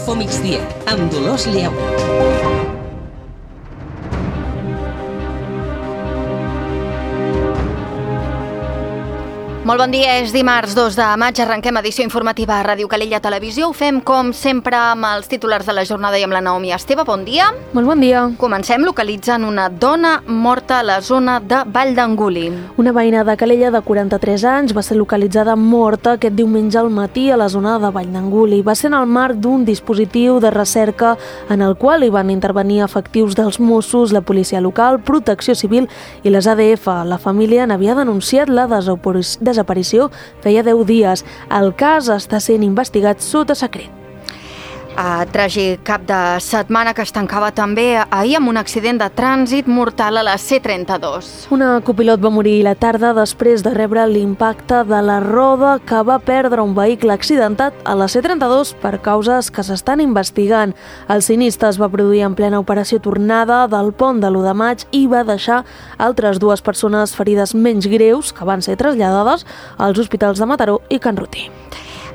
Infomigdia, amb Dolors Lleó. Molt bon dia, és dimarts 2 de maig, arrenquem edició informativa a Ràdio Calella Televisió. Ho fem, com sempre, amb els titulars de la jornada i amb la Naomi Esteve. Bon dia. Molt bon dia. Comencem localitzant una dona morta a la zona de Vall d'Anguli. Una veïna de Calella de 43 anys va ser localitzada morta aquest diumenge al matí a la zona de Vall d'Anguli. Va ser en el marc d'un dispositiu de recerca en el qual hi van intervenir efectius dels Mossos, la policia local, Protecció Civil i les ADF. La família n'havia denunciat la desaparició feia 10 dies. El cas està sent investigat sota secret. Tràgic cap de setmana que es tancava també ahir amb un accident de trànsit mortal a la C32. Una copilot va morir la tarda després de rebre l'impacte de la roda que va perdre un vehicle accidentat a la C32 per causes que s'estan investigant. El sinistre es va produir en plena operació tornada del pont de l'1 de maig i va deixar altres 2 persones ferides menys greus que van ser traslladades als hospitals de Mataró i Can Rutí.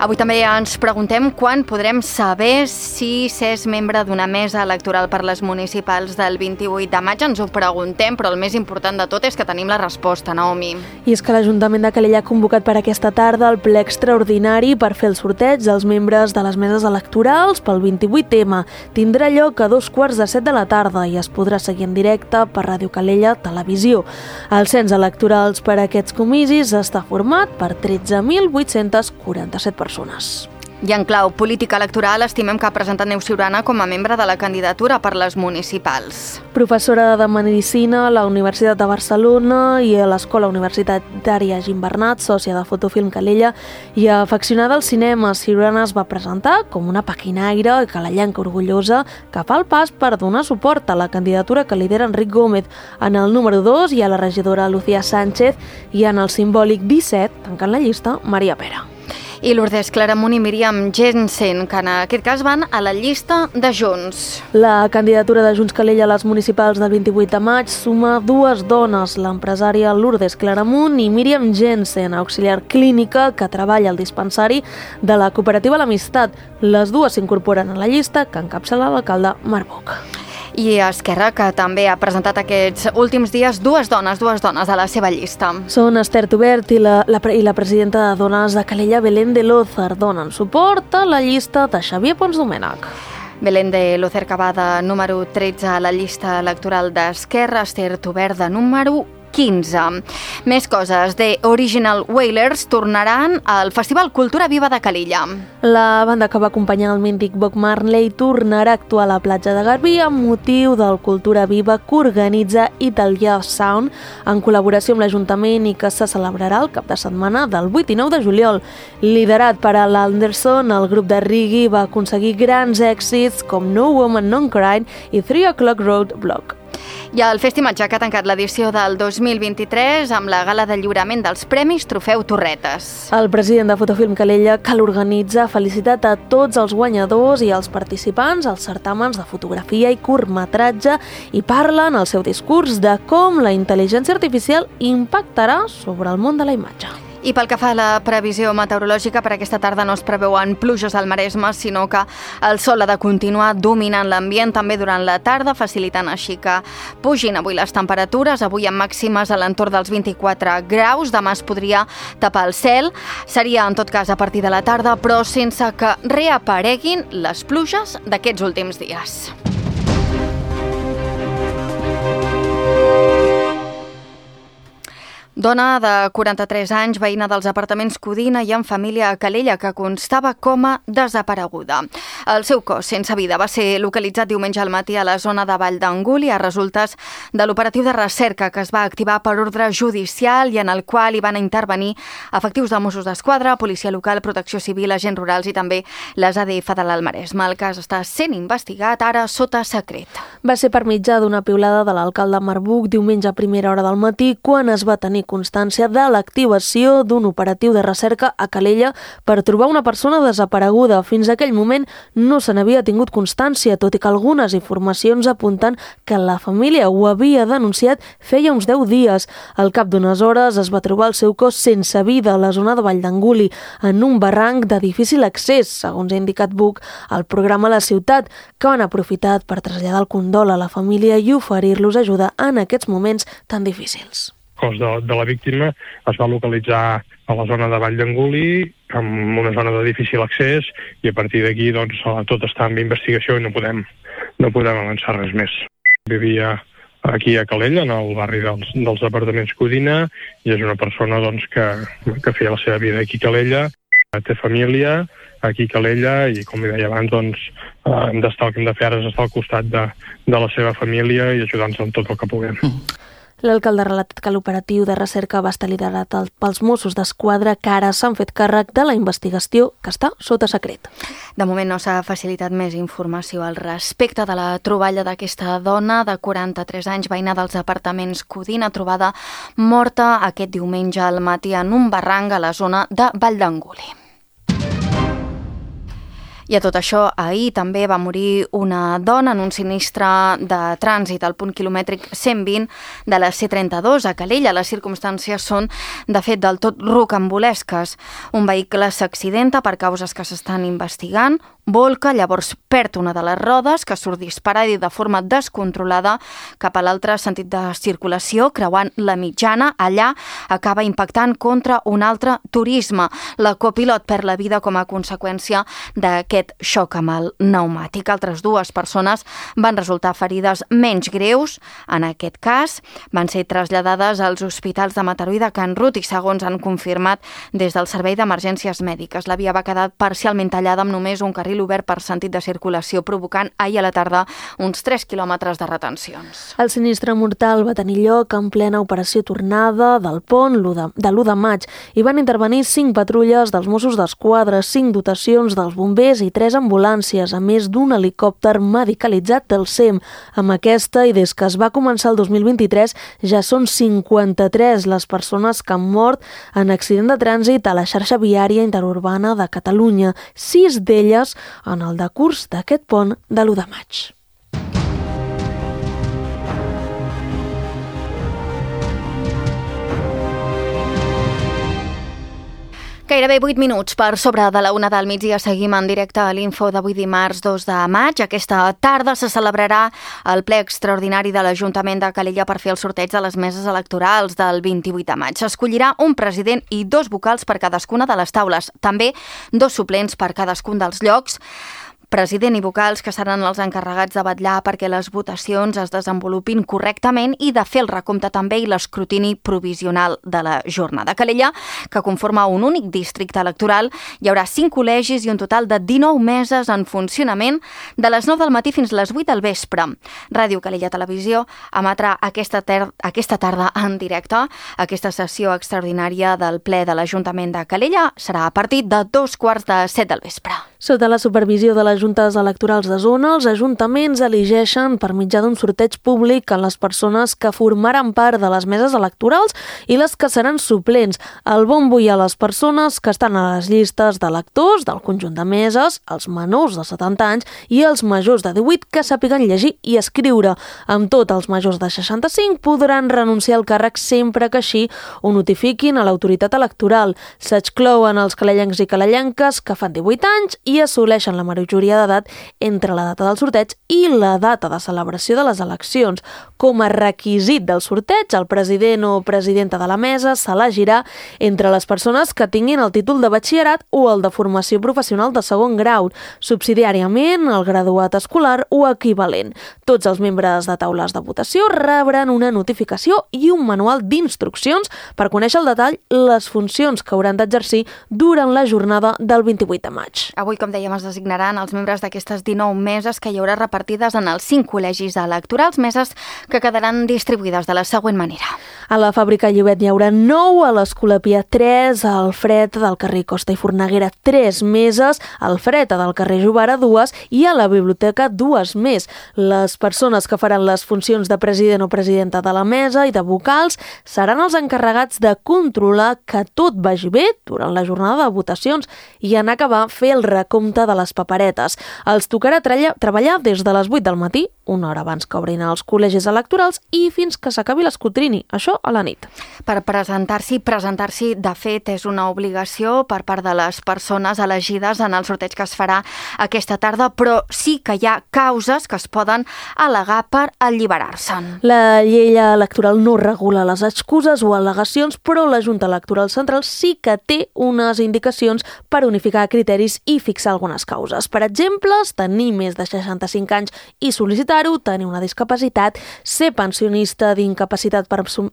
Avui també ens preguntem quan podrem saber si s'és membre d'una mesa electoral per les municipals del 28 de maig. Ens ho preguntem, però el més important de tot és que tenim la resposta, Naomi. I és que l'Ajuntament de Calella ha convocat per aquesta tarda el ple extraordinari per fer el sorteig dels membres de les meses electorals pel 28M. Tindrà lloc a 2:15 de la tarda i es podrà seguir en directe per Ràdio Calella Televisió. El cens electorals per a aquests comicis està format per 13.847 persones. I en clau política electoral estimem que ha presentat Neus Ciurana com a membre de la candidatura per les municipals. Professora de Medicina a la Universitat de Barcelona i a l'Escola Universitària Gimbernat, sòcia de Fotofilm Calella i afeccionada al cinema, Ciurana es va presentar com una paquinaire i calellenca orgullosa que fa el pas per donar suport a la candidatura que lidera Enric Gómez. En el número 2 hi ha la regidora Lucía Sánchez i en el simbòlic 17, tancant la llista, Maria Pera. I Lourdes Claramunt i Míriam Jensen, que en aquest cas van a la llista de Junts. La candidatura de Junts Calella a les municipals del 28 de maig suma 2 dones, l'empresària Lourdes Claramunt i Míriam Jensen, auxiliar clínica que treballa al dispensari de la cooperativa L'Amistat. Les 2 s'incorporen a la llista que encapçala l'alcalde Marc Buch. I Esquerra, que també ha presentat aquests últims dies 2 dones a la seva llista. Són Esther Tubert i la presidenta de Dones de Calella, Belén de Lózer, donen suport a la llista de Xavier Pons Domènech. Belén de Lózer, que va de número 13 a la llista electoral d'Esquerra, Esther Tubert de número 15. Més coses. The Original Wailers tornaran al Festival Cultura Viva de Calella. La banda que va acompanyar el mític Bob Marley tornarà a actuar a la platja de Garbí amb motiu del Cultura Viva que organitza Italia Sound en col·laboració amb l'Ajuntament i que se celebrarà el cap de setmana del 8 i 9 de juliol. Liderat per Al Anderson, el grup de reggae va aconseguir grans èxits com No Woman Non Crying i 3 O'Clock Road Block. I el Festimatge que ha tancat l'edició del 2023 amb la gala de lliurament dels Premis Trofeu Torretes. El president de Fotofilm Calella, que l'organitza, ha felicitat a tots els guanyadors i els participants als certàmens de fotografia i curtmetratge i parla en el seu discurs de com la intel·ligència artificial impactarà sobre el món de la imatge. I pel que fa a la previsió meteorològica, per aquesta tarda no es preveuen pluges al Maresme, sinó que el sol ha de continuar dominant l'ambient també durant la tarda, facilitant així que pugin avui les temperatures, avui amb màximes a l'entorn dels 24 graus, demà es podria tapar el cel, seria en tot cas a partir de la tarda, però sense que reapareguin les pluges d'aquests últims dies. Dona de 43 anys, veïna dels apartaments Codina i amb família a Calella, que constava com a desapareguda. El seu cos sense vida va ser localitzat diumenge al matí a la zona de Vall d'Anguli a resultes de l'operatiu de recerca que es va activar per ordre judicial i en el qual hi van intervenir efectius de Mossos d'Esquadra, Policia Local, Protecció Civil, agents rurals i també les ADF de l'Alt Maresme. El cas està sent investigat ara sota secret. Va ser per mitjà d'una piulada de l'alcalde Marc Buch diumenge a primera hora del matí quan es va tenir constància de l'activació d'un operatiu de recerca a Calella per trobar una persona desapareguda. Fins a aquell moment no se n'havia tingut constància, tot i que algunes informacions apunten que la família ho havia denunciat feia uns 10 dies. Al cap d'unes hores es va trobar el seu cos sense vida a la zona de Vall d'Anguli, en un barranc de difícil accés, segons ha indicat Buc al programa La Ciutat, que han aprofitat per traslladar el condol a la família i oferir-los ajuda en aquests moments tan difícils. El cos de la víctima es va localitzar a la zona de Vall d'Anguli, en una zona de difícil accés, i a partir d'aquí tot està en investigació i no podem avançar res més. Vivia aquí a Calella, en el barri dels apartaments Codina, i és una persona que feia la seva vida aquí a Calella, té família aquí a Calella i, com li deia abans, el que hem de fer ara és estar al costat de la seva família i ajudar-nos en tot el que puguem. L'alcalde ha relatat que l'operatiu de recerca va estar liderat pels Mossos d'Esquadra, que ara s'han fet càrrec de la investigació, que està sota secret. De moment no s'ha facilitat més informació al respecte de la troballa d'aquesta dona de 43 anys, veïna dels apartaments Codina, trobada morta aquest diumenge al matí en un barranc a la zona de Vall d'Anguli. I a tot això, ahir també va morir una dona en un sinistre de trànsit al punt quilomètric 120 de la C32 a Calella. Les circumstàncies són, de fet, del tot rocambolesques. Un vehicle s'accidenta per causes que s'estan investigant, volca, llavors perd una de les rodes, que surt disparada i de forma descontrolada cap a l'altre sentit de circulació, creuant la mitjana. Allà acaba impactant contra un altre turisme. La copilot perd la vida com a conseqüència d'aquest xoc amb el pneumàtic. Altres dues persones van resultar ferides menys greus. En aquest cas, van ser traslladades als hospitals de Mataró i de Can Rut i, segons han confirmat des del Servei d'Emergències Mèdiques, la via va quedar parcialment tallada amb només un carril obert per sentit de circulació, provocant ahir a la tarda uns 3 quilòmetres de retencions. El sinistre mortal va tenir lloc en plena operació tornada del pont de l'1 de maig. Hi van intervenir 5 patrulles dels Mossos d'Esquadra, 5 dotacions dels bombers i 3 ambulàncies, a més d'un helicòpter medicalitzat del SEM. Amb aquesta, i des que es va començar el 2023, ja són 53 les persones que han mort en accident de trànsit a la xarxa viària interurbana de Catalunya, 6 d'elles en el decurs d'aquest pont de l'1 de maig. Gairebé 8 minuts per sobre de la 1 del migdia. Seguim en directe a l'Info d'avui dimarts 2 de maig. Aquesta tarda se celebrarà el ple extraordinari de l'Ajuntament de Calella per fer el sorteig de les meses electorals del 28 de maig. S'escollirà un president i 2 vocals per cadascuna de les taules. També 2 suplents per cadascun dels llocs. President i vocals que seran els encarregats de vetllar perquè les votacions es desenvolupin correctament i de fer el recompte també i l'escrutini provisional de la jornada. Calella, que conforma un únic districte electoral, hi haurà 5 col·legis i un total de 19 meses en funcionament de les 9 del matí fins les 8 del vespre. Ràdio Calella Televisió emetrà aquesta tarda en directe. Aquesta sessió extraordinària del ple de l'Ajuntament de Calella serà a partir de 2:45 del vespre. Sota la supervisió de les juntes electorals de zona, els ajuntaments elegeixen per mitjà d'un sorteig públic a les persones que formaran part de les meses electorals i les que seran suplents. El bombo i a les persones que estan a les llistes d'electors del conjunt de meses, els menors de 70 anys i els majors de 18 que sàpiguen llegir i escriure. Amb tot, els majors de 65 podran renunciar al càrrec sempre que així ho notifiquin a l'autoritat electoral. S'exclouen els calellencs i calellenques que fan 18 anys i assoleixen la majoria d'edat entre la data del sorteig i la data de celebració de les eleccions. Com a requisit del sorteig, el president o presidenta de la mesa s'elegirà entre les persones que tinguin el títol de batxillerat o el de formació professional de segon grau, subsidiàriament el graduat escolar o equivalent. Tots els membres de taules de votació rebran una notificació i un manual d'instruccions per conèixer al detall les funcions que hauran d'exercir durant la jornada del 28 de maig. Avui com dèiem, es designaran els membres d'aquestes 19 meses que hi haurà repartides en els 5 col·legis electorals, meses que quedaran distribuïdes de la següent manera. A la Fàbrica Llobet n'hi haurà 9, a l'Escolapia 3, al Fred del carrer Costa i Forneguera 3 meses, al Fred del carrer Jovara 2 i a la Biblioteca 2 més. Les persones que faran les funcions de president o presidenta de la mesa i de vocals seran els encarregats de controlar que tot vagi bé durant la jornada de votacions i en acabar fer el recompte de les paperetes. Els tocarà treballar des de les 8 del matí, una hora abans que obrin els col·legis electorals i fins que s'acabi l'escrutini, això a la nit. Per presentar-s'hi, de fet, és una obligació per part de les persones elegides en el sorteig que es farà aquesta tarda, però sí que hi ha causes que es poden al·legar per alliberar-se'n. La llei electoral no regula les excuses o al·legacions, però la Junta Electoral Central sí que té unes indicacions per unificar criteris i fixar algunes causes. Per exemple, tenir més de 65 anys i sol·licitar-ho, tenir una discapacitat, ser pensionista d'incapacitat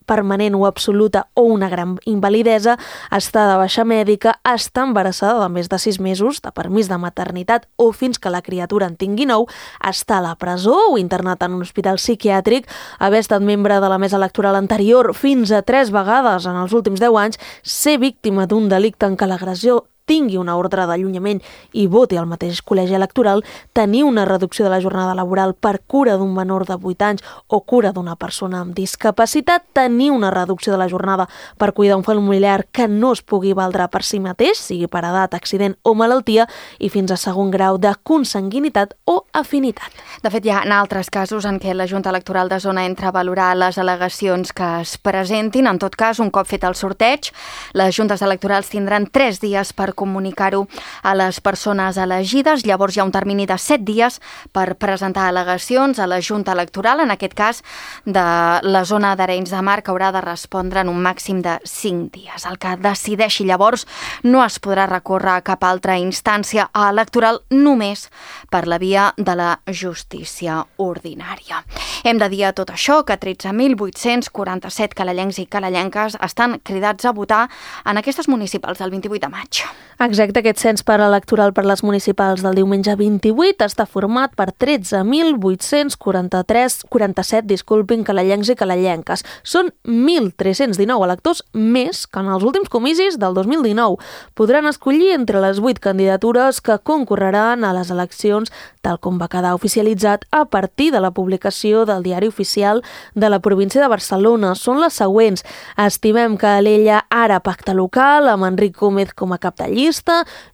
permanent o absoluta o una gran invalidesa, estar de baixa mèdica, estar embarassada de més de 6 mesos, de permís de maternitat o fins que la criatura en tingui 9, estar a la presó o internat en un hospital psiquiàtric, haver estat membre de la mesa electoral anterior fins a 3 vegades en els últims 10 anys, ser víctima d'un delicte en què l'agressor tingui una ordre d'allunyament i voti al mateix col·legi electoral, tenir una reducció de la jornada laboral per cura d'un menor de 8 anys o cura d'una persona amb discapacitat, tenir una reducció de la jornada per cuidar un familiar que no es pugui valdre per si mateix, sigui per edat, accident o malaltia, i fins a segon grau de consanguinitat o afinitat. De fet, hi ha altres casos en què la Junta Electoral de Zona entra a valorar les al·legacions que es presentin. En tot cas, un cop fet el sorteig, les juntes electorals tindran 3 dies per comunicar-ho a les persones elegides. Llavors hi ha un termini de 7 dies per presentar al·legacions a la Junta Electoral, en aquest cas de la zona d'Arenys de Mar, que haurà de respondre en un màxim de 5 dies. El que decideixi llavors no es podrà recórrer a cap altra instància electoral, només per la via de la justícia ordinària. Hem de dir a tot això que 13.847 calellencs i calellenques estan cridats a votar en aquestes municipals del 28 de maig. Exacte, aquest cens electoral per les municipals del diumenge 28 està format per 13.847 calellencs i calellenques. Són 1.319 electors més que en els últims comicis del 2019. Podran escollir entre les 8 candidatures que concorreran a les eleccions, tal com va quedar oficialitzat a partir de la publicació del Diari Oficial de la província de Barcelona. Són les següents. Estimem Calella ara pacte local, amb Enric Gómez com a cap de llista,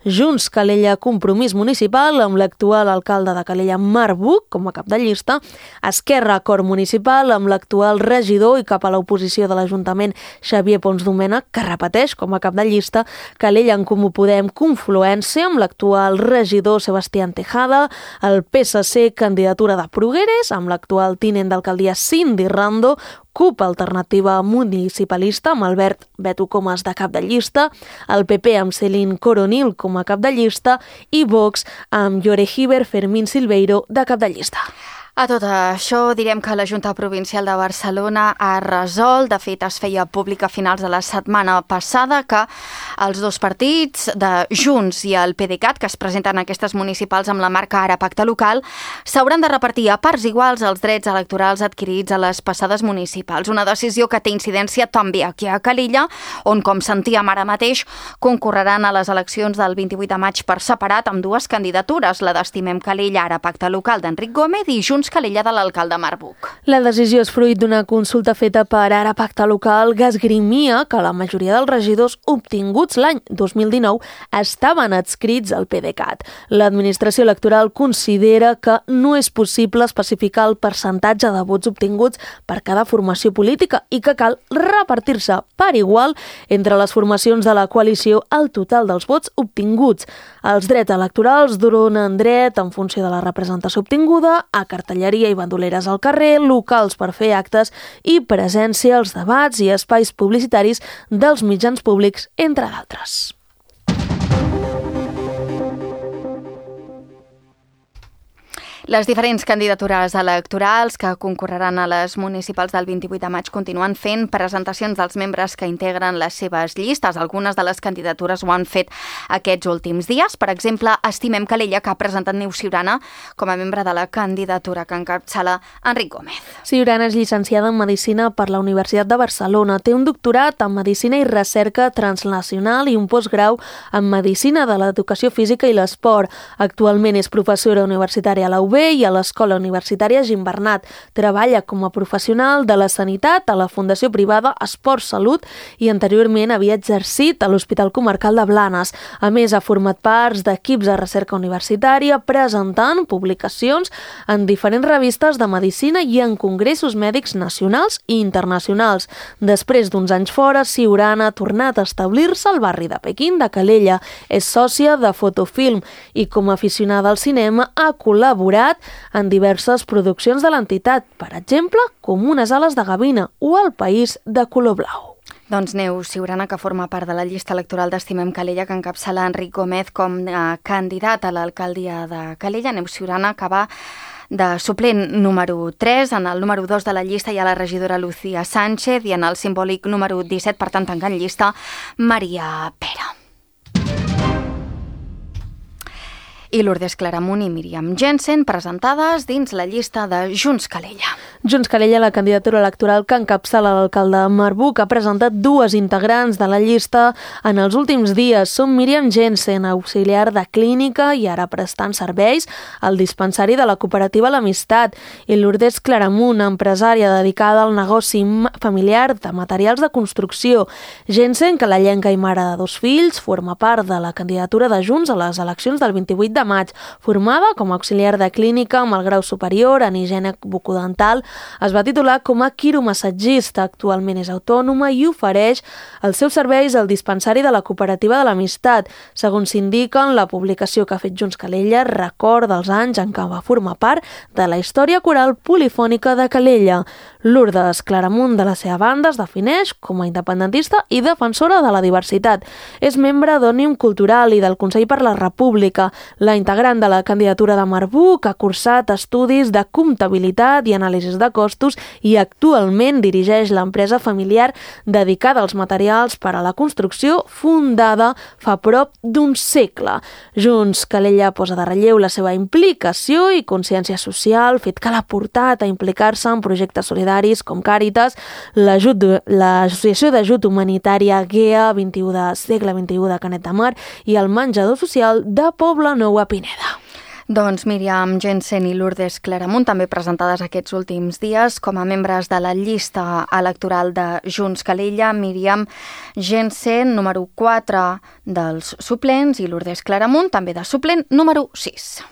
Junts Calella Compromís Municipal amb l'actual alcalde de Calella Marc Buch com a cap de llista, Esquerra Acord Municipal amb l'actual regidor i cap a l'oposició de l'Ajuntament Xavier Pons Domènech, que repeteix com a cap de llista, Calella en Comú Podem Confluència amb l'actual regidor Sebastián Tejada, el PSC candidatura de Progreres amb l'actual tinent d'alcaldia Cindy Rando, CUP Alternativa Municipalista amb Albert Beto Comas de cap de llista, el PP amb Celine Coronil com a cap de llista i Vox amb Llore Giver Fermín Silveiro de cap de llista. A tot això direm que la Junta Provincial de Barcelona ha resolt, de fet es feia públic a finals de la setmana passada, que els dos partits de Junts i el PDeCAT, que es presenten en aquestes municipals amb la marca Ara Pacte Local, s'hauran de repartir a parts iguals els drets electorals adquirits a les passades municipals. Una decisió que té incidència també aquí a Calella, on, com sentíem ara mateix, concorreran a les eleccions del 28 de maig per separat amb 2 candidatures, la d'Estimem Calella Ara Pacte Local d'Enric Gómez i Junts Calella de l'alcalde Marc Buch. La decisió és fruit d'una consulta feta per Ara Pacte Local que esgrimia que la majoria dels regidors obtinguts l'any 2019 estaven adscrits al PDeCAT. L'administració electoral considera que no és possible especificar el percentatge de vots obtinguts per cada formació política i que cal repartir-se per igual entre les formacions de la coalició el total dels vots obtinguts. Els drets electorals donen dret, en funció de la representació obtinguda, a cartelleria i bandoleres al carrer, locals per fer actes i presència als debats i espais publicitaris dels mitjans públics, entre d'altres. Les diferents candidatures electorals que concorreran a les municipals del 28 de maig continuen fent presentacions dels membres que integren les seves llistes. Algunes de les candidatures ho han fet aquests últims dies. Per exemple, Estimem Calella, que ha presentat Neus Ciurana com a membre de la candidatura que encapçala Enric Gómez. Ciurana és llicenciada en Medicina per la Universitat de Barcelona. Té un doctorat en Medicina i Recerca Transnacional i un postgrau en Medicina de l'Educació Física i l'Esport. Actualment és professora universitària a la UB i a l'Escola Universitària Gimbernat. Treballa com a professional de la sanitat a la Fundació Privada Esport Salut i anteriorment havia exercit a l'Hospital Comarcal de Blanes. A més, ha format parts d'equips de recerca universitària presentant publicacions en diferents revistes de medicina i en congressos mèdics nacionals i internacionals. Després d'uns anys fora, Ciurana ha tornat a establir-se al barri de Pequín de Calella. És sòcia de Fotofilm i com a aficionada al cinema ha col·laborat en diverses produccions de l'entitat, per exemple, com Unes ales de gavina o El país de color blau. Doncs Neus Ciurana, que forma part de la llista electoral d'Estimem Calella, que encapçala Enric Gómez com a candidat a l'alcaldia de Calella. Neus Ciurana, que va de suplent número 3, en el número 2 de la llista hi ha la regidora Lucía Sánchez i en el simbòlic número 17, per tant, tancant llista, Maria Pera. I Lourdes Claramunt i Míriam Jensen presentades dins la llista de Junts Calella. Junts Calella, la candidatura electoral que encapçala l'alcalde Marbuc, ha presentat dues integrants de la llista en els últims dies. Són Míriam Jensen, auxiliar de clínica i ara prestant serveis al dispensari de la cooperativa L'Amistat, i Lourdes Claramunt, empresària dedicada al negoci familiar de materials de construcció. Jensen, calellenca i mare de 2 fills, forma part de la candidatura de Junts a les eleccions del 28 de maig. Formada com a auxiliar de clínica amb el grau superior en higiene bucodental, es va titular com a quiromassatgista. Actualment és autònoma i ofereix els seus serveis al dispensari de la cooperativa de l'Amistat. Segons s'indica en la publicació que ha fet Junts Calella, recorda els anys en què va formar part de la història coral polifònica de Calella. Lourdes Claramunt, de la seva banda, es defineix com a independentista i defensora de la diversitat. És membre d'Òmnium Cultural i del Consell per la República. La integrant de la candidatura de Marbuc ha cursat estudis de comptabilitat i anàlisis de costos i actualment dirigeix l'empresa familiar dedicada als materials per a la construcció, fundada fa prop d'un segle. Junts Calella posa de relleu la seva implicació i consciència social, fet que l'ha portat a implicar-se en projectes solidaris com Càritas, l'Associació d'Ajut Humanitària GEA 21 de segle XXI de Canet de Mar i el menjador social de Pobla Nou a Pineda. Doncs Míriam Jensen i Lourdes Claramunt, també presentades aquests últims dies com a membres de la llista electoral de Junts Calella. Míriam Jensen, número 4 dels suplents, i Lourdes Claramunt, també de suplent número 6.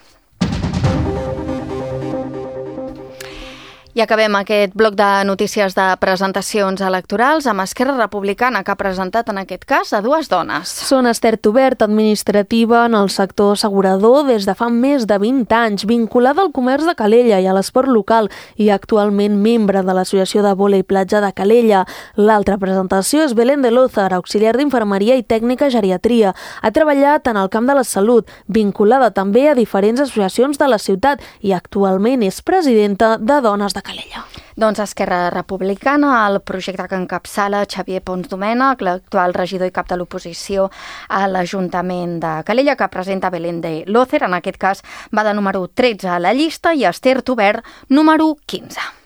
I acabem aquest bloc de notícies de presentacions electorals amb Esquerra Republicana, que ha presentat en aquest cas a 2 dones. Són Esther Tubert, administrativa en el sector assegurador des de fa més de 20 anys, vinculada al comerç de Calella i a l'esport local i actualment membre de l'Associació de Vòlei Platja de Calella. L'altra presentació és Belén de Lózar, auxiliar d'infermeria i tècnica geriatria. Ha treballat en el camp de la salut, vinculada també a diferents associacions de la ciutat i actualment és presidenta de Dones de Calella. Doncs Esquerra Republicana, el projecte que encapçala Xavier Pons Domènech, l'actual regidor i cap de l'oposició a l'Ajuntament de Calella, que presenta Belén de Lózar, en aquest cas va de número 13 a la llista, i Esther Tubert, número 15.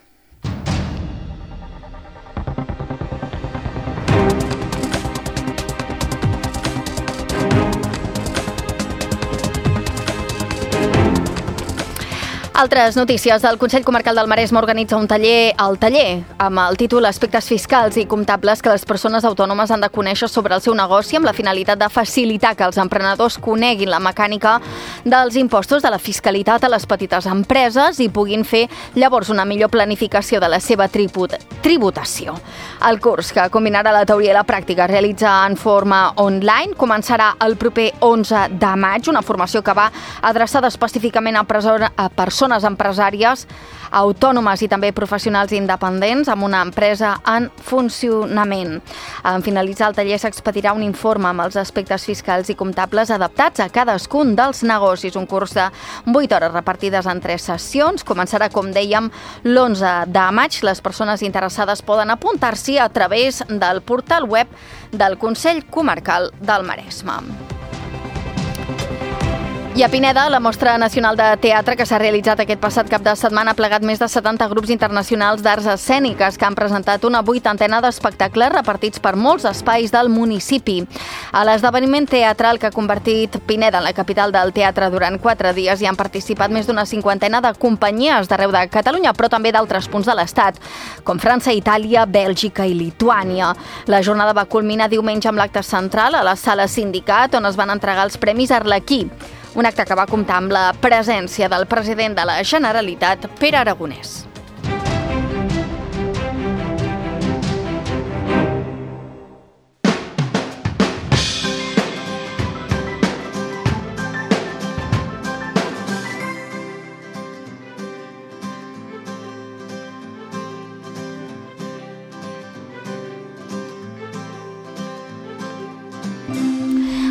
Altres notícies. El Consell Comarcal del Maresme organitza un taller, el taller, amb el títol Aspectes fiscals i comptables que les persones autònomes han de conèixer sobre el seu negoci, amb la finalitat de facilitar que els emprenedors coneguin la mecànica dels impostos, de la fiscalitat a les petites empreses i puguin fer llavors una millor planificació de la seva tributació. El curs, que combinarà la teoria i la pràctica, es realitza en forma online, començarà el proper 11 de maig, una formació que va adreçada específicament a persones persones empresàries, autònomes i també professionals independents amb una empresa en funcionament. En finalitzar el taller s'expedirà un informe amb els aspectes fiscals i comptables adaptats a cadascun dels negocis. Un curs de 8 hores repartides en 3 sessions. Començarà, com dèiem, l'11 de maig. Les persones interessades poden apuntar-s'hi a través del portal web del Consell Comarcal del Maresme. I a Pineda, la Mostra Nacional de Teatre, que s'ha realitzat aquest passat cap de setmana, ha plegat més de 70 grups internacionals d'arts escèniques que han presentat una 80ena d'espectacles repartits per molts espais del municipi. A l'esdeveniment teatral que ha convertit Pineda en la capital del teatre durant 4 dies hi han participat més d'una 50ena de companyies d'arreu de Catalunya, però també d'altres punts de l'Estat, com França, Itàlia, Bèlgica i Lituània. La jornada va culminar diumenge amb l'acte central a la Sala Sindicat, on es van entregar els Premis Arlequí, un acte que va comptar amb la presència del president de la Generalitat, Pere Aragonès.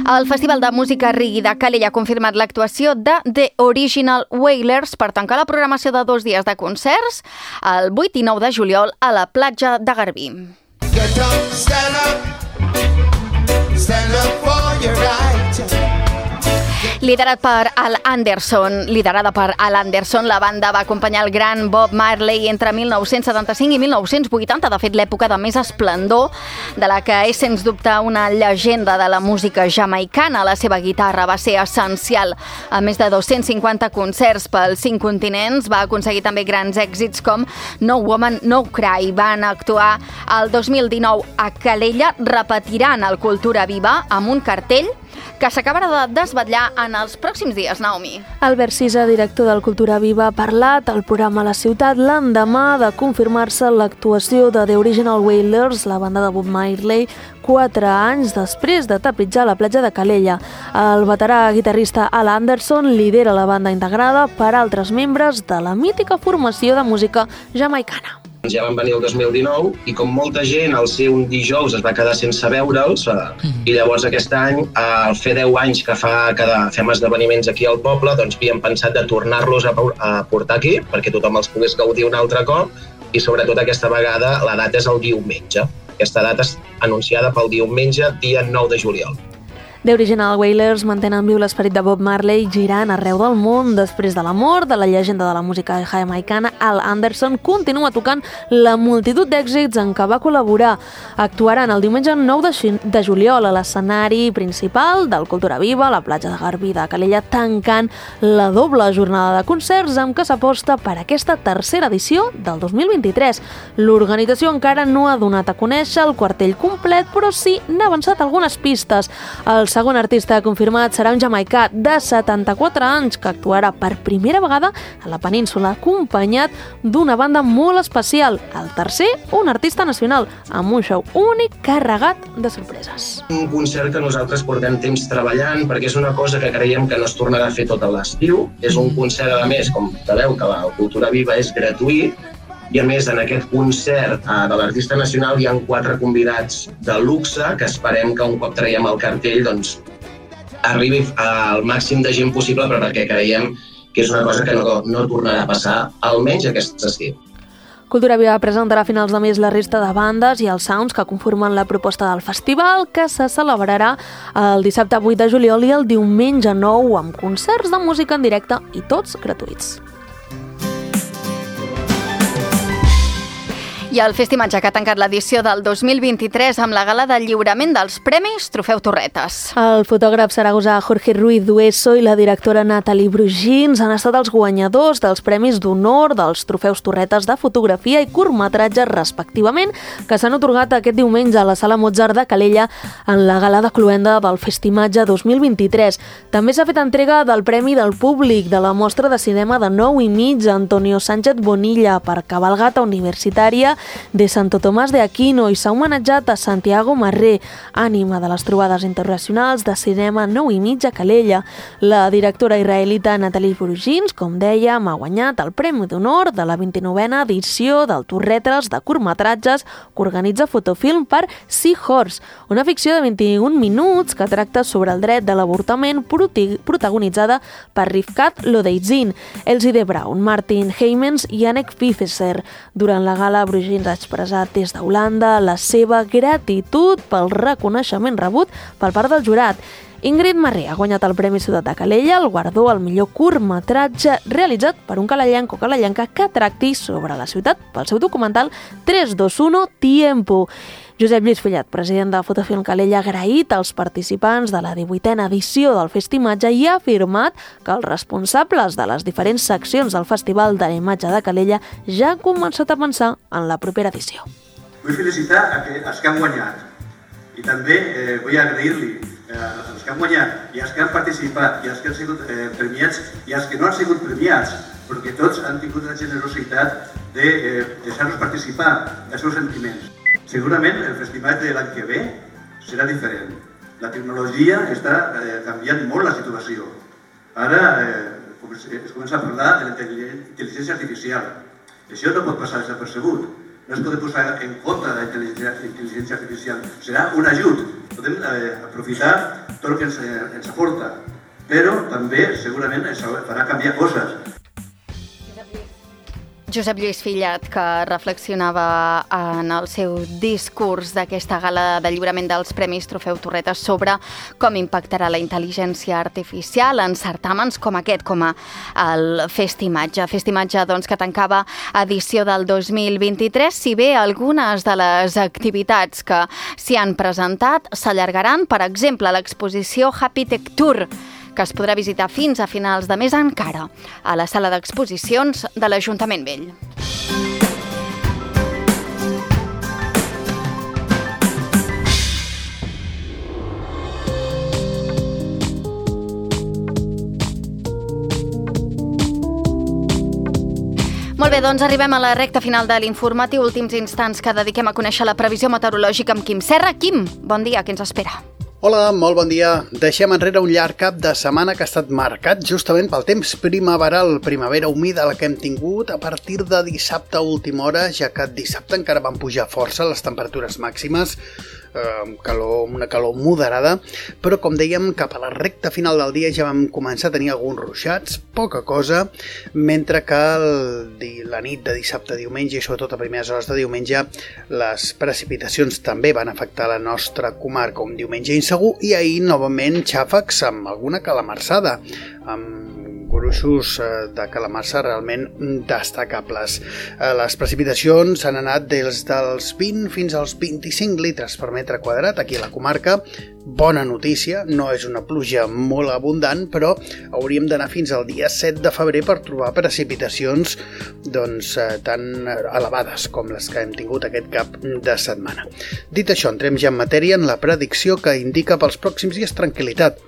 El Festival de Música Reggae de Calella ha confirmat l'actuació de The Original Wailers per tancar la programació de 2 dies de concerts el 8 i 9 de juliol a la platja de Garbí. Get up, stand up for your right. Liderada per Al Anderson, la banda va acompanyar el gran Bob Marley entre 1975 i 1980, de fet l'època de més esplendor, de la que és sens dubte una llegenda de la música jamaicana. La seva guitarra va ser essencial a més de 250 concerts pels 5 continents. Va aconseguir també grans èxits com No Woman, No Cry. Van actuar el 2019 a Calella, repetiran el Cultura Viva amb un cartell que s'acabarà de desvetllar en els pròxims dies, Naomi. Albert Cisa, director del Cultura Viva, ha parlat al programa La Ciutat l'endemà de confirmar-se l'actuació de The Original Wailers, la banda de Bob Marley, 4 anys després de tapitjar la platja de Calella. El veterà guitarrista Al Anderson lidera la banda integrada per altres membres de la mítica formació de música jamaicana. Ja van venir el 2019 i com molta gent al ser un dijous es va quedar sense veure'ls i llavors aquest any, al fer 10 anys que fem esdeveniments aquí al poble, doncs havíem pensat de tornar-los a portar aquí perquè tothom els pogués gaudir un altre cop i sobretot aquesta vegada la data és el diumenge. Aquesta data és anunciada pel diumenge, dia 9 de juliol. The Original Wailers mantenen viu l'esperit de Bob Marley girant arreu del món. Després de la mort de la llegenda de la música jamaicana, Al Anderson continua tocant la multitud d'èxits en què va col·laborar. Actuaran el diumenge 9 de juliol a l'escenari principal del Cultura Viva, a la platja de Garbí de Calella, tancant la doble jornada de concerts amb què s'aposta per aquesta tercera edició del 2023. L'organització encara no ha donat a conèixer el quartell complet, però sí n'ha avançat algunes pistes. El segon artista confirmat serà un jamaicà de 74 anys que actuarà per primera vegada a la península, acompanyat d'una banda molt especial. El tercer, un artista nacional, amb un show únic carregat de sorpreses. Un concert que nosaltres portem temps treballant perquè és una cosa que creiem que no es tornarà a fer tot l'estiu. És un concert, a més, com sabeu, que la Cultura Viva és gratuït, i a més en aquest concert de l'artista nacional hi ha 4 convidats de luxe que esperem que un cop traiem el cartell doncs, arribi al màxim de gent possible, però perquè creiem que és una cosa que no tornarà a passar almenys aquest estiu. Cultura Viva presentarà a finals de mes la resta de bandes i els sounds que conformen la proposta del festival, que se celebrarà el dissabte 8 de juliol i el diumenge 9 amb concerts de música en directe i tots gratuïts. I el Festimatge que ha tancat l'edició del 2023 amb la gala de lliurament dels Premis Trofeu Torretes. El fotògraf saragosà Jorge Ruiz Dueso i la directora Nathalie Brugins han estat els guanyadors dels Premis d'Honor dels Trofeus Torretes de fotografia i curtmetratge respectivament, que s'han atorgat aquest diumenge a la Sala Mozart de Calella en la gala de cloenda del Festimatge 2023. També s'ha fet entrega del Premi del Públic de la Mostra de Cinema de 9 i mig Antonio Sánchez Bonilla per Cabalgata Universitària de Santo Tomàs de Aquino i s'ha homenatjat a Santiago Marré, ànima de les trobades internacionals de cinema 9:30 a Calella. La directora israelita Nathalie Brugins, com dèiem, ha guanyat el Premi d'Honor de la 29a edició del Torretres de curtmetratges que organitza Fotofilm per Seahorse, una ficció de 21 minuts que tracta sobre el dret de l'avortament protagonitzada per Rivkat Lodeitzin, Elsie de Braun, Martin Heymans i Anneke Pfeffer. Durant la gala, Brugins ha expressat des d'Holanda la seva gratitud pel reconeixement rebut per part del jurat. Ingrid Marré ha guanyat el Premi Ciutat de Calella, el guardó al millor curtmetratge realitzat per un calellenc o calellenca que tracti sobre la ciutat pel seu documental 321 Tiempo. Josep Lluís Fillat, president de Fotofilm Calella, ha agraït als participants de la 18a edició del Festimatge i ha afirmat que els responsables de les diferents seccions del Festival de la Imatge de Calella ja han començat a pensar en la propera edició. Vull felicitar els que han guanyat i també vull agrair-li als que han guanyat i als que han participat i als que han sigut premiats i als que no han sigut premiats, perquè tots han tingut la generositat de deixar-nos participar dels seus sentiments. Segurament el festival de l'any que ve serà diferent. La tecnologia està canviant molt la situació. Ara es comença a parlar de la intel·ligència artificial. Això no pot passar desapercebut. No es pot posar en compte de la intel·ligència artificial. Serà un ajut. Podem aprofitar tot el que ens aporta, però també segurament ens farà canviar coses. Josep Lluís Fillat, que reflexionava en el seu discurs d'aquesta gala de lliurament dels Premis Trofeu Torretes sobre com impactarà la intel·ligència artificial en certàmens com aquest, com el Festimatge. Festimatge, doncs, que tancava edició del 2023, si bé algunes de les activitats que s'hi han presentat s'allargaran, per exemple, l'exposició Happy Tech Tour, que es podrà visitar fins a finals de mes encara a la sala d'exposicions de l'Ajuntament Vell. Molt bé, doncs arribem a la recta final de l'informatiu, últims instants que dediquem a conèixer la previsió meteorològica amb Quim Serra. Quim, bon dia, què ens espera? Hola, molt bon dia. Deixem enrere un llarg cap de setmana que ha estat marcat justament pel temps primaveral, primavera humida la que hem tingut a partir de dissabte a última hora, ja que dissabte encara van pujar força les temperatures màximes, una calor moderada, però com dèiem, cap a la recta final del dia ja vam començar a tenir alguns ruixats, poca cosa, mentre que la nit de dissabte a diumenge i sobretot a primeres hores de diumenge les precipitacions també van afectar la nostra comarca, un diumenge insegur, i ahir novament xàfecs amb alguna calamarsada, amb gruixos de calamarsa realment destacables. Les precipitacions han anat des dels 20 fins als 25 litres per metre quadrat aquí a la comarca. Bona notícia, no és una pluja molt abundant, però hauríem d'anar fins al dia 7 de febrer per trobar precipitacions tan elevades com les que hem tingut aquest cap de setmana. Dit això, entrem ja en matèria en la predicció que indica pels pròxims dies tranquil·litat.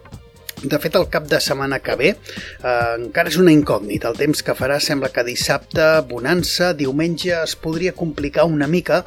De fet, el cap de setmana que ve encara és una incògnita. El temps que farà sembla que dissabte, bonança, diumenge es podria complicar una mica,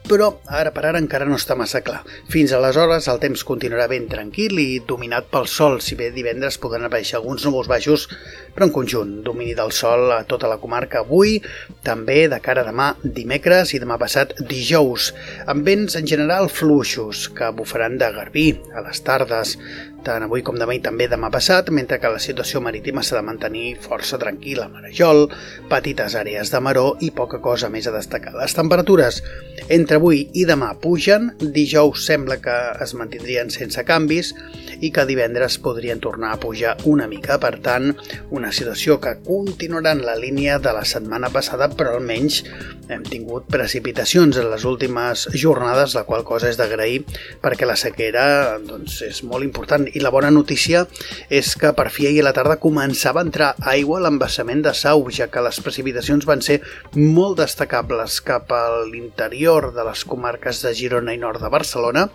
però ara per ara encara no està massa clar. Fins aleshores el temps continuarà ben tranquil i dominat pel sol, si bé divendres podran aparèixer alguns núvols baixos, però en conjunt, domini del sol a tota la comarca avui, també de cara a demà dimecres i demà passat dijous, amb vents en general fluixos que bufaran de garbí a les tardes, tant avui com demà i també demà passat, mentre que la situació marítima s'ha de mantenir força tranquil·la, marejol, petites àrees de maror i poca cosa més a destacar. Les temperatures entre avui i demà pugen, dijous sembla que es mantindrien sense canvis i que divendres podrien tornar a pujar una mica. Per tant, una situació que continuarà en la línia de la setmana passada, però almenys hem tingut precipitacions en les últimes jornades, la qual cosa és d'agrair perquè la sequera és molt important. I la bona notícia és que per fi ahir a la tarda començava a entrar aigua a l'embassament de Sau, ja que les precipitacions van ser molt destacables cap a l'interior de les comarques de Girona i nord de Barcelona,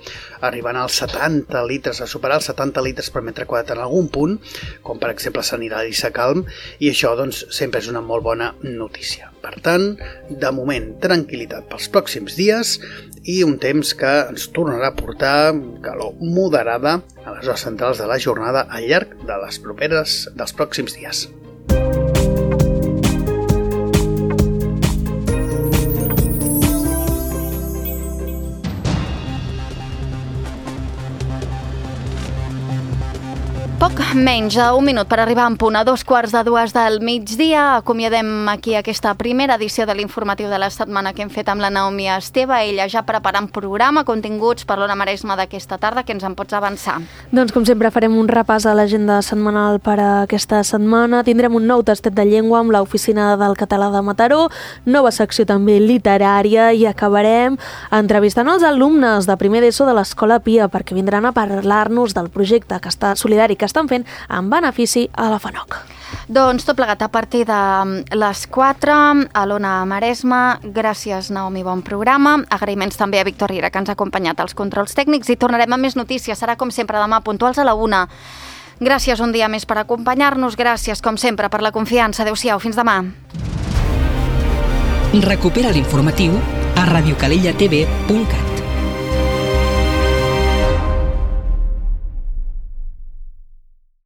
arribant als 70 litres, a superar els 70 litres per metre quadrat en algun punt, com per exemple Sant Hilari i Sacalm, i això doncs sempre és una molt bona notícia. Per tant, de moment, tranquil·litat pels pròxims dies i un temps que ens tornarà a portar calor moderada a les hores centrals de la jornada al llarg de dels pròxims dies. Poc menys d'un minut per arribar en punt a 2:15 del migdia. Acomiadem aquí aquesta primera edició de l'informatiu de la setmana que hem fet amb la Naomi Esteve. Ella ja preparant programa, continguts per l'Ona Maresma d'aquesta tarda. Què ens en pots avançar? Doncs com sempre farem un repàs a l'agenda setmanal per a aquesta setmana. Tindrem un nou tastet de llengua amb l'Oficina del Català de Mataró, nova secció també literària i acabarem entrevistant els alumnes de primer d'ESO de l'Escola Pia perquè vindran a parlar-nos del projecte solidari que estan fent en benefici a la FANOC. Doncs tot plegat a partir de les 4 a l'Ona Maresma. Gràcies, Naomi, bon programa. Agraïments també a Víctor Riera, que ens ha acompanyat als controls tècnics, i tornarem amb més notícies. Serà com sempre demà, puntuals a la 1. Gràcies un dia més per acompanyar-nos. Gràcies, com sempre, per la confiança. Adéu-siau, fins demà. Recupera l'informatiu a radiocalellatv.cat.